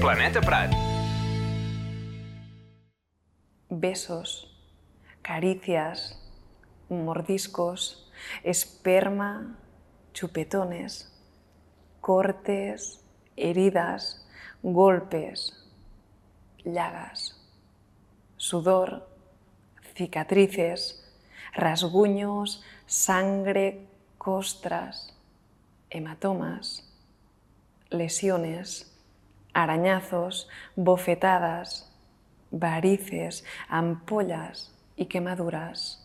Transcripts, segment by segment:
Planeta Prat. Besos, caricias, mordiscos, esperma, chupetones, cortes, heridas, golpes, llagas, sudor, cicatrices, rasguños, sangre, costras, hematomas, lesiones, arañazos, bofetadas, varices, ampollas y quemaduras.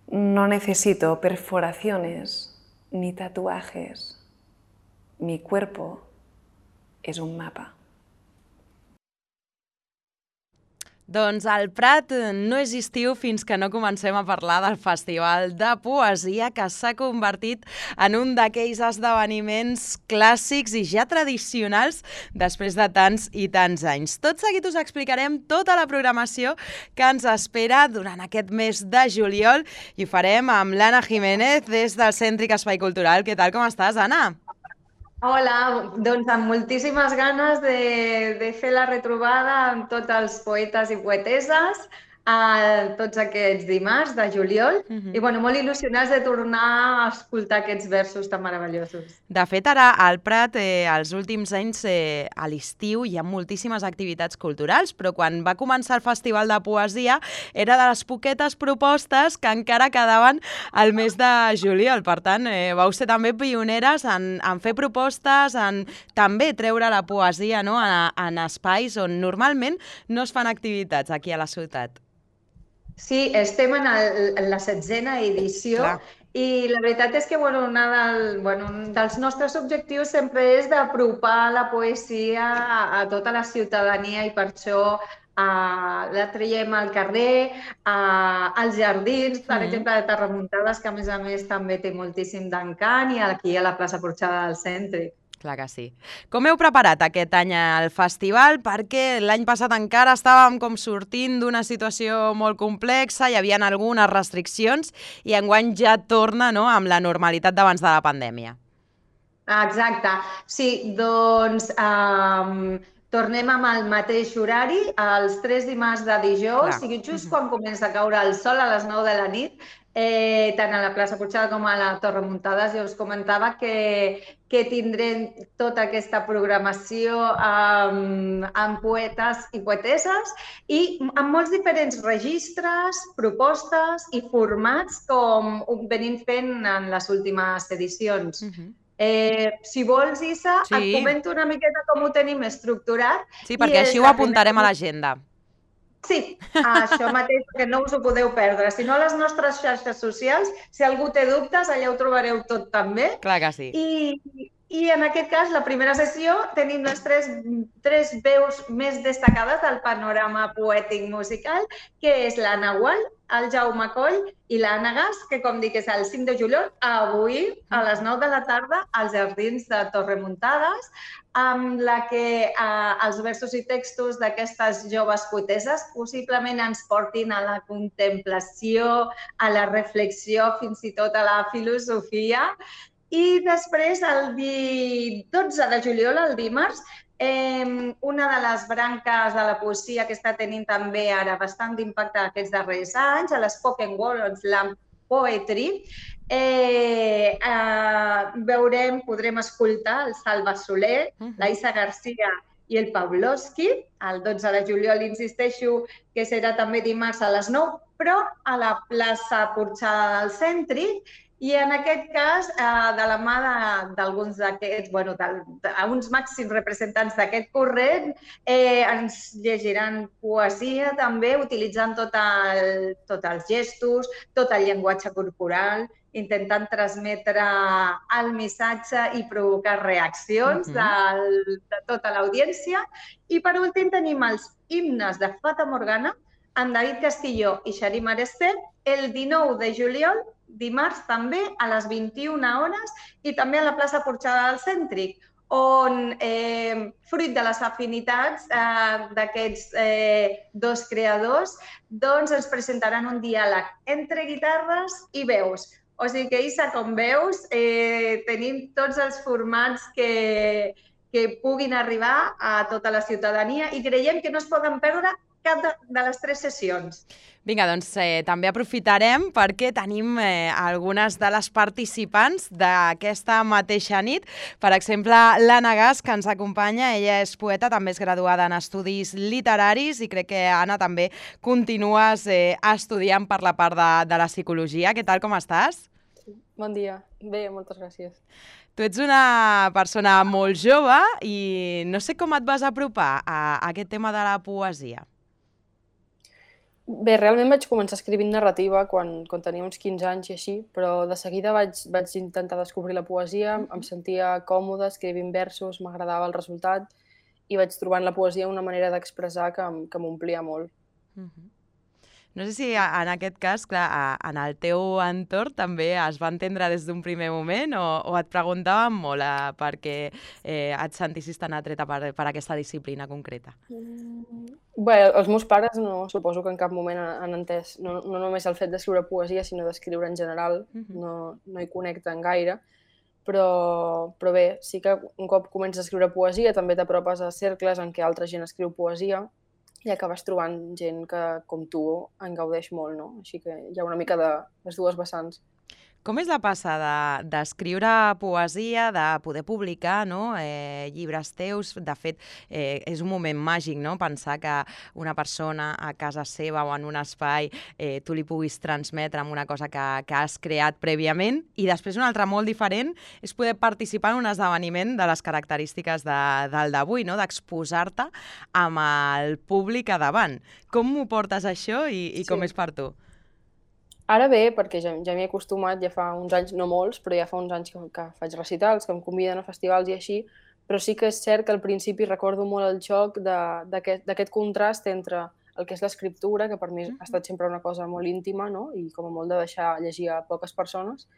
No necesito perforaciones ni tatuajes. Mi cuerpo es un mapa. Doncs el Prat no és estiu fins que no comencem a parlar del Festival de Poesia, que s'ha convertit en un d'aquells esdeveniments clàssics i ja tradicionals després de tants i tants anys. Tot seguit us explicarem tota la programació que ens espera durant aquest mes de juliol i ho farem amb l'Anna Jiménez des del Cèntric Espai Cultural. Què tal, com estàs, Anna? Hola, doncs amb moltíssimes ganes de fer la retrobada amb tots els poetes i poeteses tots aquests dimarts de juliol i molt il·lusionats de tornar a escoltar aquests versos tan meravellosos. De fet, ara al Prat, els últims anys, a l'estiu, hi ha moltíssimes activitats culturals, però quan va començar el Festival de Poesia era de les poquetes propostes que encara quedaven al mes de juliol. Per tant, vau ser també pioneres en fer propostes, en també treure la poesia, no?, en espais on normalment no es fan activitats aquí a la ciutat. Sí, estem en la 16a edició. Clar. I la veritat és que un dels nostres objectius sempre és d'apropar la poesia a tota la ciutadania i per això la traiem al carrer, als jardins, per exemple, de Terramuntades, que a més també té moltíssim d'encant, i aquí a la plaça Porxada del Cèntric. Clar que sí. Com heu preparat aquest any el festival? Perquè l'any passat encara estàvem com sortint d'una situació molt complexa, hi havia algunes restriccions i enguany ja torna, no?, amb la normalitat d'abans de la pandèmia. Exacte. Sí, doncs tornem amb el mateix horari, els 3 dimarts de dijous, sigui just quan comença a caure el sol a les 9 de la nit, tant a la plaça Porxada com a la Torre Muntades. Jo us comentava que tindrem tota aquesta programació amb poetes i poeteses i amb molts diferents registres, propostes i formats com venim fent en les últimes edicions. Si vols, Issa, et comento una miqueta com ho tenim estructurat. Sí, perquè així ho apuntarem a l'agenda. Sí, això mateix, que no us ho podeu perdre. Si no, a les nostres xarxes socials, si algú té dubtes, allà ho trobareu tot també. Clar que sí. I en aquest cas, la primera sessió, tenim les tres veus més destacades del panorama poètic musical, que és la Nahual, el Jaume Coll i l'Anna Gas, que, com dic, és el 5 de juliol, avui, a les 9 de la tarda, als jardins de Torremuntades, amb la que els versos i textos d'aquestes joves poeteses possiblement ens portin a la contemplació, a la reflexió, fins i tot a la filosofia. I després, el 12 de juliol, el dimarts, una de les branques de la poesia que està tenint també ara bastant d'impacte aquests darrers anys, a l'Spoken Word Slam Poetry, podrem escoltar el Salva Soler, l'Aissa Garcia i el Pavlovsky. El 12 de juliol, insisteixo, que serà també dimarts a les 9, però a la plaça Porxada del Cèntric. I en aquest cas, de la mà d'alguns d'aquests, uns màxims representants d'aquest corrent, ens llegiran poesia també, utilitzant tots els gestos, tot el llenguatge corporal, intentant transmetre el missatge i provocar reaccions de tota l'audiència. I per últim tenim els himnes de Fata Morgana, amb David Castillo i Xarim Aresté, el 19 de juliol, dimarts també, a les 21 hores, i també a la plaça Porxada del Cèntric, on, fruit de les afinitats d'aquests dos creadors, doncs ens presentaran un diàleg entre guitarres i veus, O sigui que, Isa, com veus, tenim tots els formats que puguin arribar a tota la ciutadania i creiem que no es poden perdre cap de les 3 sessions. Vinga, doncs també aprofitarem perquè tenim algunes de les participants d'aquesta mateixa nit. Per exemple, l'Anna Gas, que ens acompanya. Ella és poeta, també és graduada en estudis literaris i crec que, Anna, també continues estudiant per la part de la psicologia. Què tal, com estàs? Bon dia. Bé, moltes gràcies. Tu ets una persona molt jove i no sé com et vas apropar a aquest tema de la poesia. Bé, realment vaig començar escrivint narrativa quan tenia uns 15 anys i així, però de seguida vaig intentar descobrir la poesia, em sentia còmoda escrivint versos, m'agradava el resultat i vaig trobar en la poesia una manera d'expressar que m'omplia molt. No sé si en aquest cas, clar, en el teu entorn també es va entendre des d'un primer moment o et preguntaven molt perquè et sentissis tan atreta per aquesta disciplina concreta? Bé, els meus pares suposo que en cap moment han entès no només el fet d'escriure poesia, sinó d'escriure en general, no hi connecten gaire, però bé, sí que un cop comences a escriure poesia també t'apropes a cercles en què altra gent escriu poesia i acabes trobant gent que, com tu, en gaudeix molt, no? Així que hi ha una mica de les dues vessants. Com és la passa d'escriure poesia, de poder publicar llibres teus? De fet, és un moment màgic, no? Pensar que una persona a casa seva o en un espai tu li puguis transmetre amb una cosa que has creat prèviament i després un altre molt diferent és poder participar en un esdeveniment de les característiques del d'avui, no? D'exposar-te amb el públic a davant. Com ho portes això i com és per tu? Ara bé, perquè ja m'hi he acostumat, ja fa uns anys, no molts, però ja fa uns anys que faig recitals, que em conviden a festivals i així, però sí que és cert que al principi recordo molt el xoc d'aquest contrast entre el que és l'escriptura, que per mi ha estat sempre una cosa molt íntima, no? I com a molt de deixar llegir a poques persones,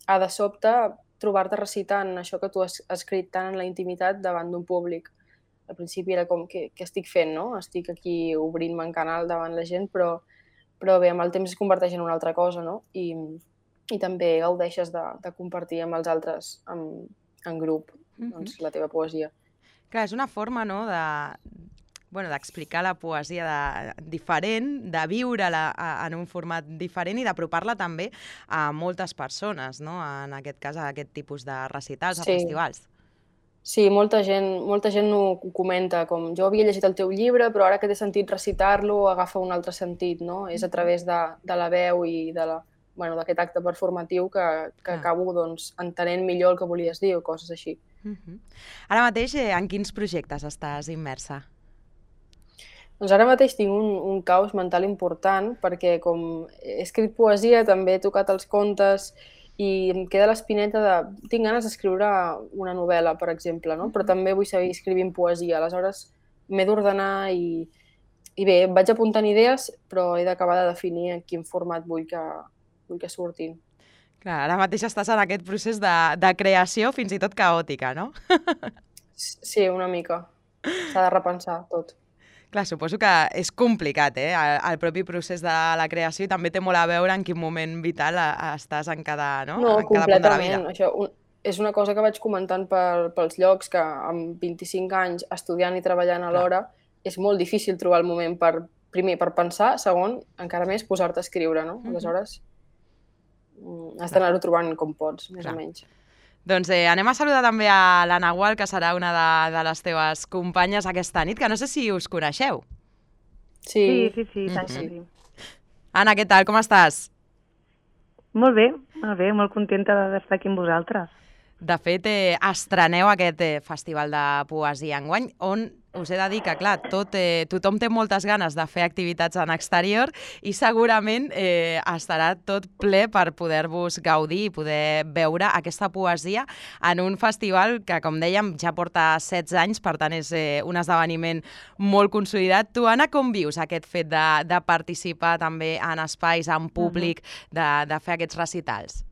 a de sobte trobar-te recitant això que tu has escrit tant en la intimitat davant d'un públic. Al principi era com, què estic fent, no? Estic aquí obrint-me en canal davant la gent, però bé, amb el temps es converteix en una altra cosa, no? I també gaudeixes de compartir amb els altres en grup doncs, la teva poesia. Clar, és una forma, no?, d'explicar la poesia diferent, de viure-la en un format diferent i d'apropar-la també a moltes persones, no?, en aquest cas a aquest tipus de recitals, a festivals. Sí, molta gent ho comenta, com jo havia llegit el teu llibre, però ara que t'he sentit recitar-lo agafa un altre sentit, no? És a través de la veu i d'aquest acte performatiu que acabo entenent millor el que volies dir o coses així. Ara mateix, en quins projectes estàs immersa? Doncs ara mateix tinc un caos mental important perquè com he escrit poesia, també he tocat els contes i em queda l'espineta tinc ganes d'escriure una novel·la, per exemple, no? Però també vull seguir escrivint poesia. Aleshores m'he d'ordenar i bé, em vaig apuntant idees, però he d'acabar de definir en quin format vull que surtin. Clar, ara mateix estàs en aquest procés de creació fins i tot caòtica, no? Sí, una mica. S'ha de repensar tot. Clar, suposo que és complicat, el propi procés de la creació i també té molt a veure en quin moment vital estàs en cada punt de la vida. Completament. Això és una cosa que vaig comentant pels llocs que amb 25 anys estudiant i treballant alhora és molt difícil trobar el moment primer per pensar, segon, encara més posar-te a escriure, no? Aleshores, has d'anar-ho trobant com pots, més o menys. Doncs anem a saludar també a la Nahual, que serà una de les teves companyes aquesta nit, que no sé si us coneixeu. Sí, tant que sí. Anna, què tal? Com estàs? Molt bé, molt contenta d'estar aquí amb vosaltres. De fet, estreneu aquest festival de poesia enguany, on us he de dir que, clar, tothom té moltes ganes de fer activitats en exterior i segurament estarà tot ple per poder-vos gaudir i poder veure aquesta poesia en un festival que, com dèiem, ja porta 16 anys, per tant és un esdeveniment molt consolidat. Tu, Anna, com vius aquest fet de participar també en espais, en públic, de fer aquests recitals?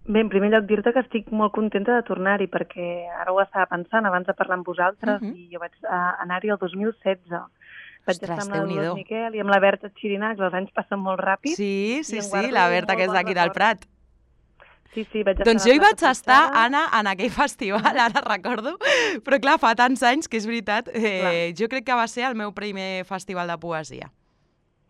Bé, en primer lloc dir-te que estic molt contenta de tornar-hi perquè ara ho estava pensant abans de parlar amb vosaltres i jo vaig anar-hi el 2016. Vaig estar amb la Dolors Miquel i amb la Berta Xirinacs, els anys passen molt ràpid. Sí, la Berta, que és d'aquí del Prat. Sí, vaig estar. Doncs jo hi vaig estar, Anna, en aquell festival, ara recordo, però clar, fa tants anys que és veritat, jo crec que va ser el meu primer festival de poesia.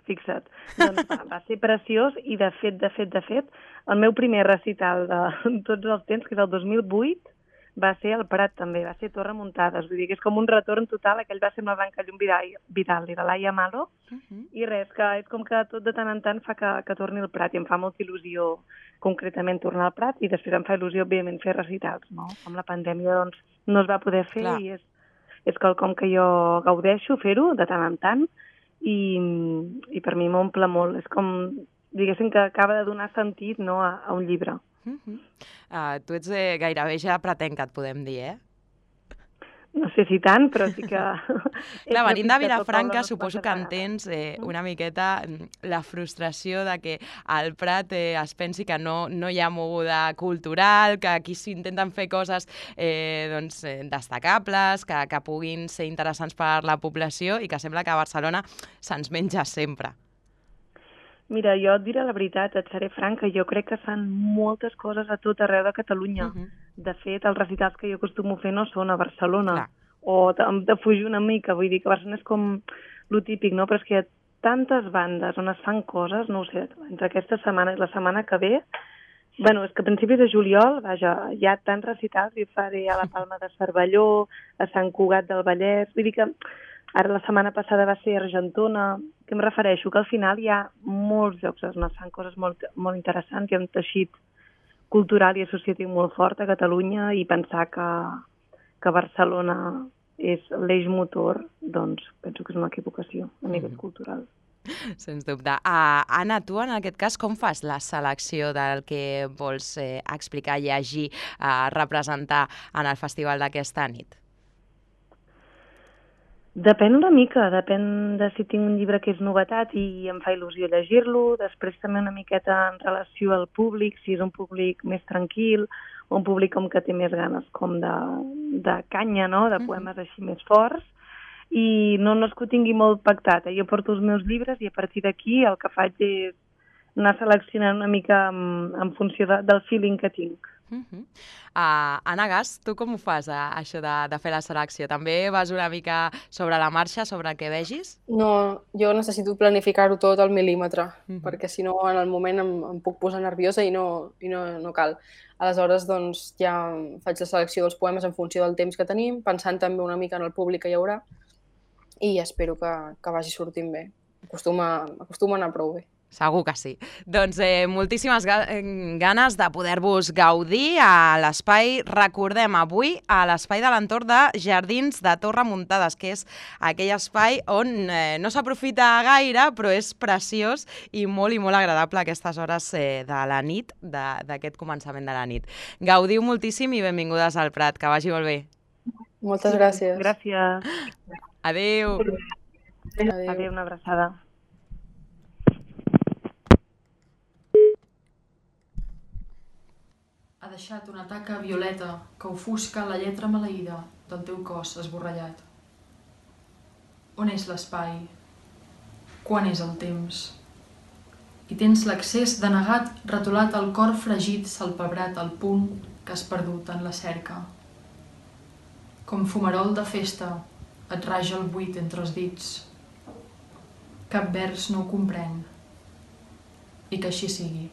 Fixa't. Doncs va ser preciós i de fet, el meu primer recital de tots els temps, que és el 2008, va ser al Prat també, va ser Torre Muntades, vull dir que és com un retorn total, aquell va ser amb la Blanca Llum Vidal i la Laia Malo, i res, que és com que tot de tant en tant fa que torni al Prat, i em fa molta il·lusió concretament tornar al Prat, i després em fa il·lusió, òbviament, fer recitals, no? Amb la pandèmia, doncs, no es va poder fer, i és quelcom que jo gaudeixo fer-ho de tant en tant, i per mi m'omple molt, és com, diguéssim, que acaba de donar sentit, no, a un llibre. Tu ets gairebé ja pretenc, et podem dir, No sé si tant, però sí que... Clar, venint de Vilafranca, suposo que entens una miqueta la frustració de que al Prat es pensi que no hi ha moguda cultural, que aquí s'intenten fer coses destacables, que puguin ser interessants per la població i que sembla que a Barcelona se'ns menja sempre. Mira, jo et diré la veritat, et seré franca, jo crec que fan moltes coses a tot arreu de Catalunya. De fet, els recitals que jo acostumo a fer no són a Barcelona. O de fugir una mica, vull dir que Barcelona és com lo típic, no? Però és que hi ha tantes bandes on es fan coses, no ho sé, entre aquesta setmana i la setmana que ve, bueno, és que a principis de juliol, vaja, hi ha tants recitals, jo faré a la Palma de Cervelló, a Sant Cugat del Vallès, vull dir que ara la setmana passada va ser a Argentona, que em refereixo que al final hi ha molts llocs on es fan coses molt interessants, hi ha un teixit cultural i associatiu molt fort a Catalunya i pensar que Barcelona és l'eix motor, doncs penso que és una equivocació a nivell cultural. Sens dubte. Anna, tu en aquest cas com fas la selecció del que vols explicar, llegir, representar en el festival d'aquesta nit? Depèn una mica, depèn de si tinc un llibre que és novetat i em fa il·lusió llegir-lo, després també una miqueta en relació al públic, si és un públic més tranquil, o un públic com que té més ganes com de canya, no?, de poemes així més forts, i no és que ho tingui molt pactat, jo porto els meus llibres i a partir d'aquí el que faig és anar seleccionant una mica en funció del feeling que tinc. Anna Gas, tu com ho fas, això de fer la selecció? També vas una mica sobre la marxa, sobre el que vegis? No, jo necessito planificar-ho tot al mil·límetre, perquè si no en el moment em puc posar nerviosa i no cal. Aleshores, doncs, ja faig la selecció dels poemes en funció del temps que tenim, pensant també una mica en el públic que hi haurà, i espero que vagi sortint bé. Acostuma a anar prou bé. Segur que sí. Doncs moltíssimes ganes de poder-vos gaudir a l'espai, recordem, avui a l'espai de l'entorn de Jardins de Torre Muntades, que és aquell espai on no s'aprofita gaire, però és preciós i molt agradable a aquestes hores de la nit, d'aquest començament de la nit. Gaudiu moltíssim i benvingudes al Prat, que vagi molt bé. Moltes gràcies. Gràcies. Adéu. Adéu, una abraçada. Ha deixat una taca violeta que ofusca la lletra maleïda del teu cos esborrellat. On és l'espai? Quan és el temps? I tens l'accés denegat retolat al cor fregit salpebrat al punt que has perdut en la cerca. Com fumarol de festa et raja el buit entre els dits. Cap vers no ho comprèn. I que així sigui.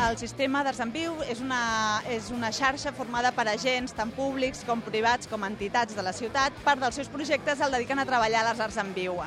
El sistema d'Arts en Viu és una xarxa formada per agents, tant públics com privats com entitats de la ciutat. Part dels seus projectes el dediquen a treballar les arts en viu.